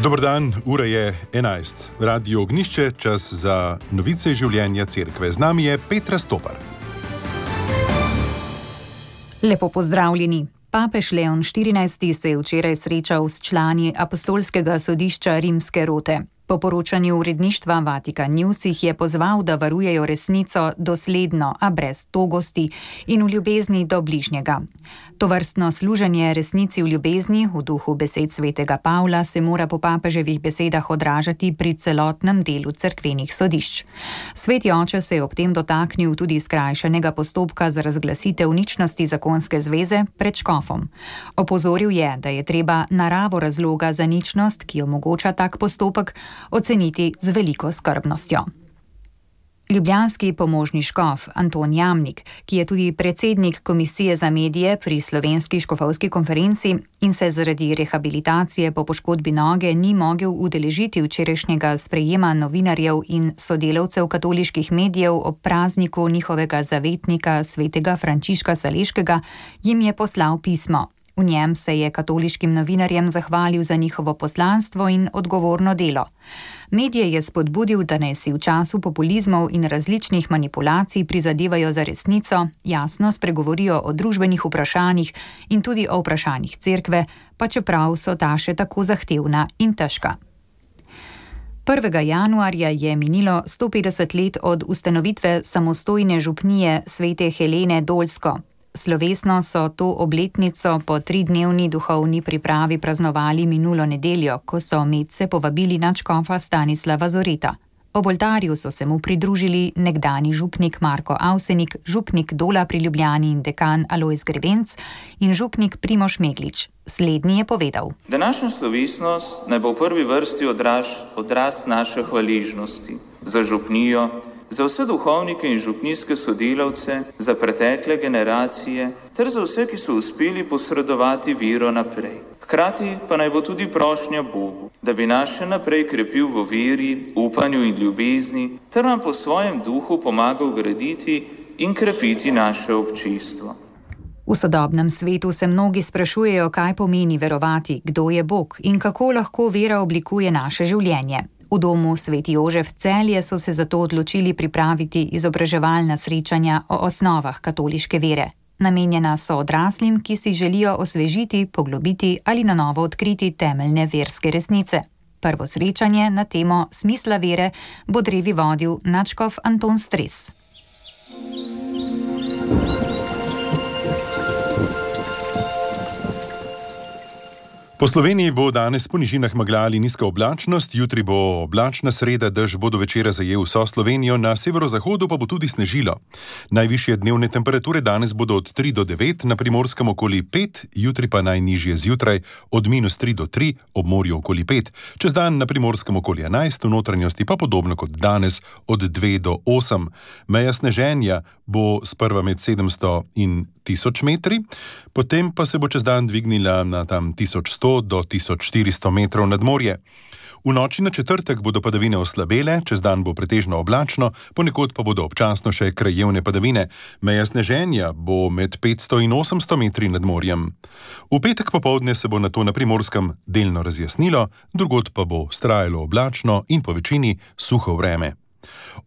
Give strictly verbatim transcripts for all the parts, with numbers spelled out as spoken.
Dober dan, ura je enajst. Radio Ognjišče, čas za novice življenja cerkve. Z nami je Petra Stopar. Lepo pozdravljeni. Papež Leon štirinajsti se je včeraj srečal s člani apostolskega sodišča Rimske rote. Po poročanju uredništva Vatikan News jih je pozval, da varujejo resnico dosledno, a brez togosti in v ljubezni do bližnjega. Tovrstno služenje resnici v ljubezni, v duhu besed svetega Pavla, se mora po papeževih besedah odražati pri celotnem delu cerkvenih sodišč. Sveti oče se je ob tem dotaknil tudi skrajšanega postopka za razglasitev ničnosti zakonske zveze pred škofom. Opozoril je, da je treba naravo razloga za ničnost, ki omogoča tak postopek, oceniti z veliko skrbnostjo. Ljubljanski pomožni škof Anton Jamnik, ki je tudi predsednik Komisije za medije pri Slovenski škofovski konferenci in se zaradi rehabilitacije po poškodbi noge ni mogel udeležiti včerajšnjega sprejema novinarjev in sodelavcev katoliških medijev ob prazniku njihovega zavetnika svetega Frančiška Saleškega, jim je poslal pismo. V njem se je katoliškim novinarjem zahvalil za njihovo poslanstvo in odgovorno delo. Medije je spodbudil, da naj si v času populizmov in različnih manipulacij prizadevajo za resnico, jasno spregovorijo o družbenih vprašanjih in tudi o vprašanjih cerkve, pa čeprav so ta še tako zahtevna in težka. prvega januarja je minilo sto petdeset let od ustanovitve samostojne župnije svete Helene Dolsko. Slovesno so to obletnico po tridnevni duhovni pripravi praznovali minulo nedeljo, ko so medse povabili nadškofa Stanislava Zoreta. Ob oltarju so se mu pridružili nekdani župnik Marko Avsenik, župnik Dola pri Ljubljani in dekan Alojz Grebenc in župnik Primož Meglič. Slednji je povedal: Današnja slovesnost naj bo v prvi vrsti odraz, odraz naše hvaležnosti za župnijo, za vse duhovnike in župnijske sodelavce, za pretekle generacije, ter za vse, ki so uspeli posredovati vero naprej. Hkrati pa naj bo tudi prošnja Bogu, da bi nas še naprej krepil v veri, upanju in ljubezni, ter nam po svojem duhu pomagal graditi in krepiti naše občestvo. V sodobnem svetu se mnogi sprašujejo, kaj pomeni verovati, kdo je Bog in kako lahko vera oblikuje naše življenje. V domu Sveti Jožef Celje so se zato odločili pripraviti izobraževalna srečanja o osnovah katoliške vere. Namenjena so odraslim, ki si želijo osvežiti, poglobiti ali na novo odkriti temeljne verske resnice. Prvo srečanje na temo smisla vere bo drevi vodil nadškof Anton Stres. Po Sloveniji bo danes po nižinah megla ali nizka oblačnost, jutri bo oblačna sreda, dež bo do večera zajel vso Slovenijo, na severozahodu pa bo tudi snežilo. Najvišje dnevne temperature danes bodo od tri do devet, na Primorskem okoli pet, jutri pa najnižje zjutraj od minus tri do tri, ob morju okoli pet. Čez dan na Primorskem okoli enajst, v notranjosti pa podobno kot danes od dve do osem. Meja sneženja bo sprva med sedemsto in tisoč metri, potem pa se bo čez dan dvignila na tam tisoč sto do tisoč štiristo metrov nad morje. V noči na četrtek bodo padavine oslabele, čez dan bo pretežno oblačno, ponekod pa bodo občasno še krajevne padavine. Meja sneženja bo med petsto in osemsto metri nad morjem. V petek popoldne se bo nato na Primorskem delno razjasnilo, drugod pa bo vztrajalo oblačno in po večini suho vreme.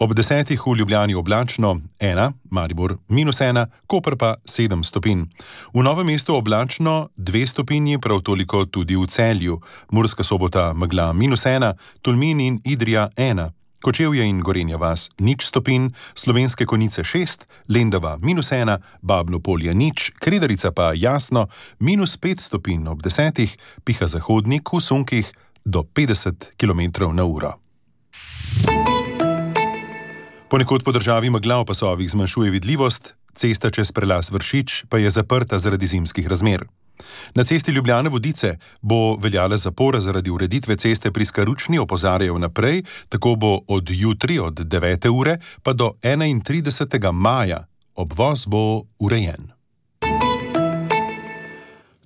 Ob desetih v Ljubljani oblačno ena, Maribor minus ena, Koper pa sedem stopinj. V Novem mestu oblačno dve stopinji, prav toliko tudi v Celju. Murska Sobota megla minus ena, Tolmin in Idrija ena. Kočevje in Gorenja vas nič stopinj, Slovenske Konjice šest, Lendava minus ena, Babno Polje nič, Kredarica pa jasno minus pet stopinj, ob desetih piha zahodnik v sunkih do petdeset kilometrov na uro. Ponekod po državi megla v pasovih zmanjšuje vidljivost, cesta čez prelaz Vršič pa je zaprta zaradi zimskih razmer. Na cesti Ljubljana-Vodice bo veljala zapora zaradi ureditve ceste pri Skaručni, opozarjajo naprej, tako bo od jutri od devete ure pa do enaintridesetega maja. Obvoz bo urejen.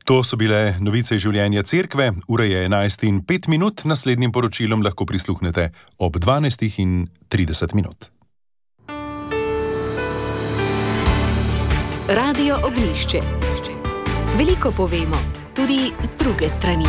To so bile novice življenja cerkve, ura je enajst in pet minut, naslednjim poročilom lahko prisluhnete ob dvanajstih in trideset minut. Radio Ognjišče. Veliko povemo, tudi z druge strani.